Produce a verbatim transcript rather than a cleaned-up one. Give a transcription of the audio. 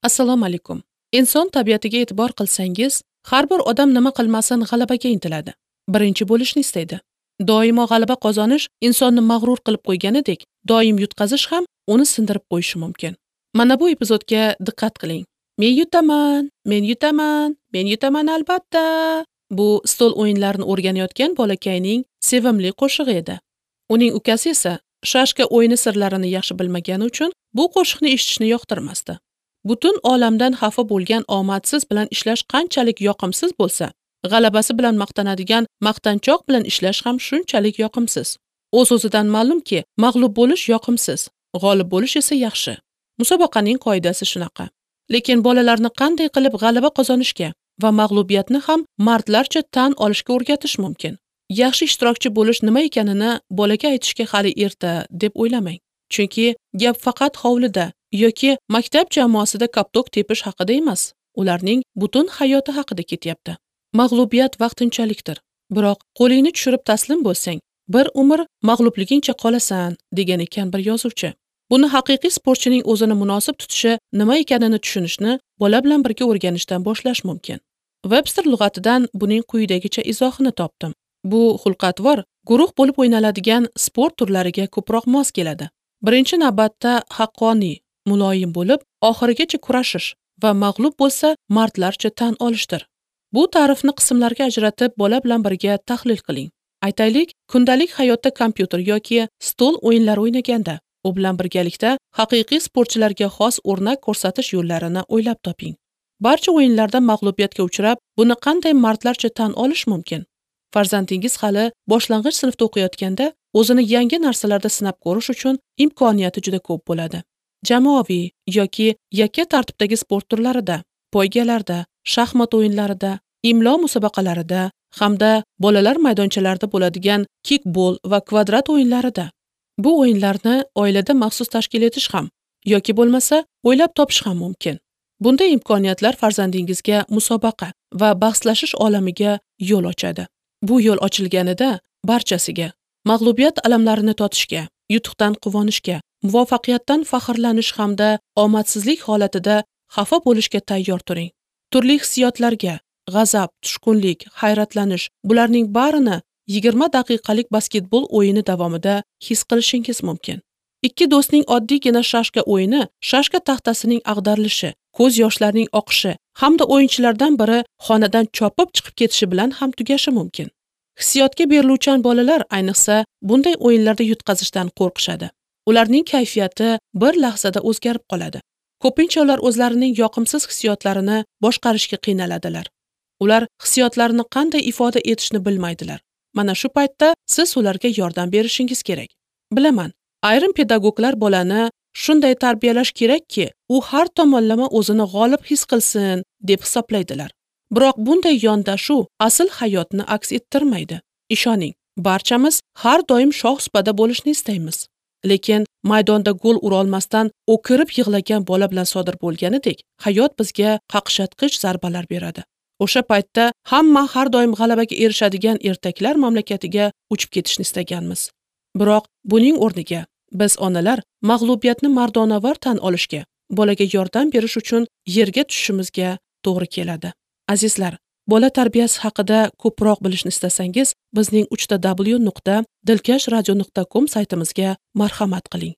Assalomu alaykum. Inson tabiatiga e'tibor qilsangiz, har bir odam nima qilmasin g'alabaga intiladi. Birinchi bo'lishni istaydi. Doimo g'alaba qozonish insonni mag'rur qilib qo'yganidek, doim yutqazish ham uni sindirib qo'yishi mumkin. Mana bu epizodga diqqat qiling. Men yutaman, men yutaman, men yutaman albatta. Bu stol o'yinlarini o'rganayotgan bolakayning sevimli qo'shig'i edi. Uning ukasi esa shashka o'yini sirlarini yaxshi bilmagani uchun bu qo'shiqni eshitishni yoqtirmasdi. Butun olamdan xafa bo'lgan omadsiz bilan ishlash qanchalik yoqimsiz bo'lsa, g'alabasi bilan maqtanadigan maqtanchoq bilan ishlash ham shunchalik yoqimsiz. O'z-o'zidan ma'lumki, mag'lub bo'lish yoqimsiz, g'olib bo'lish esa yaxshi. Musobaqaning qoidasi shunaqa. Lekin bolalarni qanday qilib g'alaba qozonishga va mag'lubiyatni ham mardlarcha tan olishga o'rgatish mumkin. Yaxshi ishtirokchi bo'lish nima ekanini bolaga aytishga hali erta deb o'ylamang. Chunki gap faqat hovlida yoki maktab jamoasida koptok tepish haqida emas, ularning butun hayoti haqida ketyapti. Mag'lubiyat vaqtinchalikdir. Biroq qo'lingni tushirib taslim bo'lsang, bir umr mag'lubligingcha qolasan, degan ekan bir yozuvchi. Buni haqiqiy sportchining o'zini munosib tutishi nima ekanini tushunishni bola bilan birga o'rganishdan boshlash mumkin. Webster lug'atidan buning quyidagicha izohini topdim. Bu xulq-atvor guruh bo'lib o'ynaladigan sport turlariga ko'proq mos keladi. Birinchi navbatda haqqoniy, muloyim bo'lib, oxirigacha kurashish va mag'lub bo'lsa mardlarcha tan olishdir. Bu ta'rifni qismlarga ajratib, bola bilan birga tahlil qiling. Aytaylik, kundalik hayotda kompyuter yoki stol o'yinlari o'ynaganda, u bilan birgalikda haqiqiy sportchilarga xos o'rnak ko'rsatish yo'llarini o'ylab toping. Barcha o'yinlarda mag'lubiyatga uchrab, buni qanday mardlarcha tan olish mumkin? Farzandingiz hali boshlang'ich sinfda o'qiyotganda o'zini yangi narsalarda sinab ko'rish uchun imkoniyati juda ko'p bo'ladi. Jamoaviy yoki yakka tartibdagi sport turlarida, poygalarda, shaxmat o'yinlarida, imlo musobaqalarida hamda bolalar maydonchalarida bo'ladigan kikbol va kvadrat o'yinlarida. Bu o'yinlarni oilada maxsus tashkil etish ham yoki bo'lmasa o'ylab topish ham mumkin. Bunday imkoniyatlar farzandingizga musobaqa va bahslashish olamiga yo'l ochadi. Bu yo'l ochilganida barchasiga mag'lubiyat alamlarini totishga, yutuqdan quvonishga, muvaffaqiyatdan faxrlanish hamda omadsizlik holatida xafa bo'lishga tayyor turing. Turli hissiyotlarga, g'azab, tushkunlik, hayratlanish, bularning barini yigirma daqiqalik basketbol o'yini davomida his qilishingiz mumkin. Ikki do'stning oddiygina shashka o'yini, shashka taxtasining ag'darilishi, ko'z yoshlarining oqishi hamda o'yinchilardan biri xonadan chopib chiqib ketishi bilan ham tugashi mumkin. Hissiyotga beriluvchan bolalar ayniqsa bunday o'yinlarda yutqazishdan qo'rqishadi. Ularning kayfiyati bir lahzada o'zgarib qoladi. Ko'pincha ular o'zlarining yoqimsiz hissiyotlarini boshqarishga qiynaladilar. Ular hissiyotlarini qanday ifoda etishni bilmaydilar. Mana shu paytda siz ularga yordam berishingiz kerak. Bilaman, ayrim pedagoglar bolani shunday tarbiyalash kerakki, u har tomonlama o'zini g'olib his qilsin deb hisoblaydilar. Biroq bunday yondashuv asl hayotni aks ettirmaydi. Ishoning, barchamiz har doim shoh supada bo'lishni istaymiz. Lekin maydonda gol urolmasdan o'kirib yig'lagan bola bilan sodir bo'lganidek, hayot bizga qaqshatqich zarbalar beradi. O'sha paytda hamma har doim g'alabaga erishadigan ertaklar mamlakatiga uchib ketishni istaganmiz. Biroq buning o'rniga biz onalar mag'lubiyatni mardonavar tan olishga, bolaga yordam berish uchun yerga tushishimizga to'g'ri keladi. Azizlar, bola tarbiyasi haqida ko'proq bilishni istasangiz, bizning uch ta w nuqta dilkash radio nuqta com saytimizga marhamat qiling.